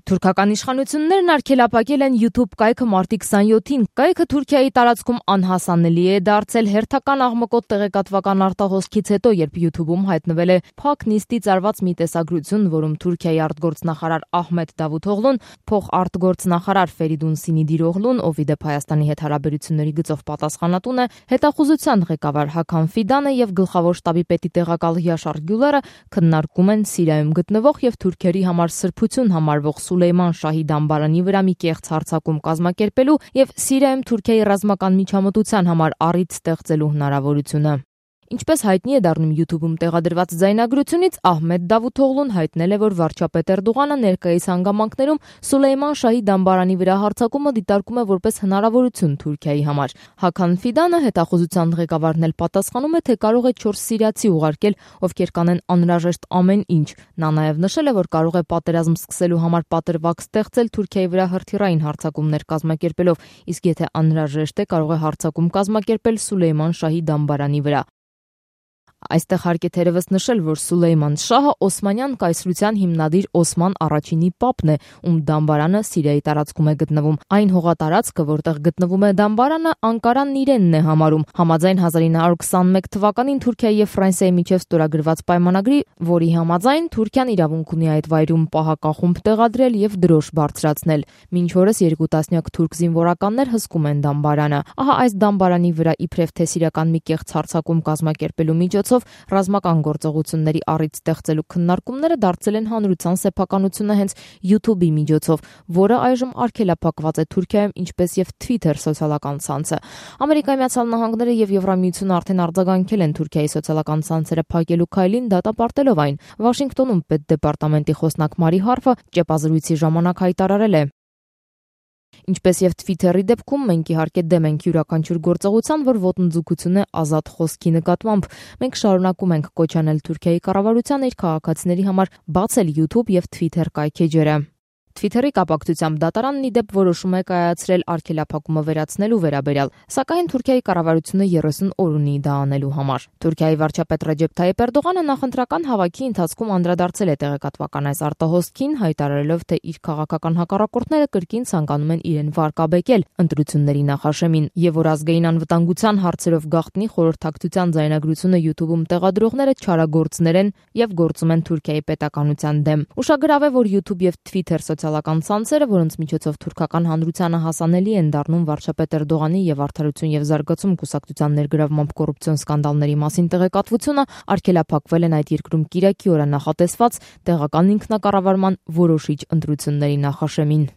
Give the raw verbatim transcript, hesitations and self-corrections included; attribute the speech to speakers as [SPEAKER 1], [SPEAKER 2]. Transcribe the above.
[SPEAKER 1] Թուրքական իշխանություններն արգելափակել են YouTube կայքը մարտի քսանյոթին։ Կայքը Թուրքիայի տարածքում անհասանելի է դարձել հերթական աղմկոտ տեղեկատվական արտահոսքից հետո, երբ YouTube-ում հայտնվել է փակ նիստից արված մի տեսագրություն, որում Թուրքիայի արտգործնախարար Ահմեդ Դավութօղլուն, փոխարտգործնախարար Ֆերիդուն Սինիդիրօղլուն, ով ի դեպ Հայաստանի հետ հարաբերությունների գծով պատասխանատուն է, հետախուզության ղեկավար Հական Ֆիդանը եւ գլխավոր շտաբի պետի տեղակալ Յաշար Գյուլերը քննարկում են Սիրիայում գտնվող եւ թուրքերի համար սրբություն համարվող Սուլեյման Շահի դամբարանի վրա մի կեղծ հարձակում կազմակերպելու եւ Սիրիայում Թուրքիայի ռազմական միջամտության համար առիթ ստեղծելու հնարավորությունը։ Ինչպես հայտնի է դառնում YouTube-ում տեղադրված ձայնագրությունից, Ահմեդ Դավութօղլուն հայտնել է, որ վարչապետ Էրդողանը ներկայիս հանգամանքներում Սուլեյման Շահի դամբարանի վրա հարձակումը դիտարկում է որպես հնարավորություն Թուրքիայի համար։ Հական Ֆիդանը, հետախուզության ղեկավարն էլ պատասխանում է, թե կարող է չորս սիրիացի ուղարկել, ովքեր կանեն անհրաժեշտ ամեն ինչ։ Նա նաև նշել է, որ կարող է պատերազմ սկսելու համար պատրվակ ստեղծել Թուրքիայի վրա հրթիռային հարձակումներ կազմակերպելով, իսկ եթե անհրաժեշտ է, կարող է հարձակում կազմակերպել Սուլեյման Շահի դամբարանի վրա։ Այստեղ հարկ է թերևս նշել, որ Սուլեյման Շահը Օսմանյան կայսրության հիմնադիր Օսման առաջինի պապն է, ում դամբարանը Սիրիայի տարածքում է գտնվում։ Այն հողատարածքը, որտեղ գտնվում է դամբարանը, Անկարանն իրենն է համարում, համաձայն հազար ինը հարյուր քսանմեկ թվականին Թուրքիայի եւ Ֆրանսիայի միջև ստորագրված պայմանագրի, որի համաձայն Թուրքիան իրավունք ունի այդ վայրում պահակախումբ տեղադրել եւ դրոշ բարձրացնել։ Մինչ օրս երկու տասնյակ թուրք զինվորականներ հսկում են դամբարանը։ Ահա այս դամբարանի վրա իբրև թե սիրիական մի կեղծ հարձակում կազմակերպելու միջոցով ռազմական գործողությունների առիթ ստեղծելու քննարկումները դարձել են հանրության սեփականությունը հենց YouTube-ի միջոցով, որը այժմ արգելափակված է Թուրքիայում, ինչպես եւ Twitter սոցիալական ցանցը։ Ամերիկայի Միացյալ Նահանգները եւ Եվրամիությունը արդեն արձագանքել են Թուրքիայի սոցիալական ցանցերը փակելու քայլին, դատապարտելով այն։ Վաշինգտոնում պետդեպարտամենտի խոսնակ Մարի Հարֆը ճեպազրույցի ժամանակ հայտարարել է. Ինչպես եւ Twitter-ի դեպքում մենք իհարկե դեմ ենք յուրաքանչյուր գործողության, որ ոտնձգություն է ազատ խոսքի նկատմամբ։ Մենք շարունակում ենք կոչ անել Թուրքիայի կառավարությանը իր քաղաքացիների համար բացել YouTube եւ Twitter կայքեջերը։ Twitter-ի կապակցությամբ դատարանն ի դեպ որոշում է կայացրել արգելափակումը վերացնելու վերաբերյալ, սակայն Թուրքիայի կառավարությունը երեսուն օր ունի դա անելու համար։ Թուրքիայի վարչապետ Ռեջեփ Թայիփ Էրդողանը նախընտրական հավաքի ընթացքում անդրադարձել է տեղեկատվական այս արտահոսքին, հայտարարելով, թե իր քաղաքական հակառակորդները կրկին ցանկանում են իրեն վարկաբեկել ընտրությունների նախաշեմին, եւ որ ազգային անվտանգության հարցերով գաղտնի խորհրդակցության ձայնագրությունը YouTube-ում տեղադրողները չարագործներ են եւ գործում են Թուրքիայի պետականության դեմ։ Ուշագրավ է, որ YouTube եւ Twitter սոցիալական ցանցերը, որոնց միջոցով թուրքական հանրությանը հասանելի են դառնում վարչապետ Էրդողանի եւ Արդարություն եւ զարգացում կուսակցության ներգրավմամբ կոռուպցիոն սկանդալների մասին տեղեկատվությունը, արգելափակվել են այդ երկրում կիրակի օրը նախատեսված տեղական ինքնակառավարման որոշիչ ընտրությունների նախաշեմին։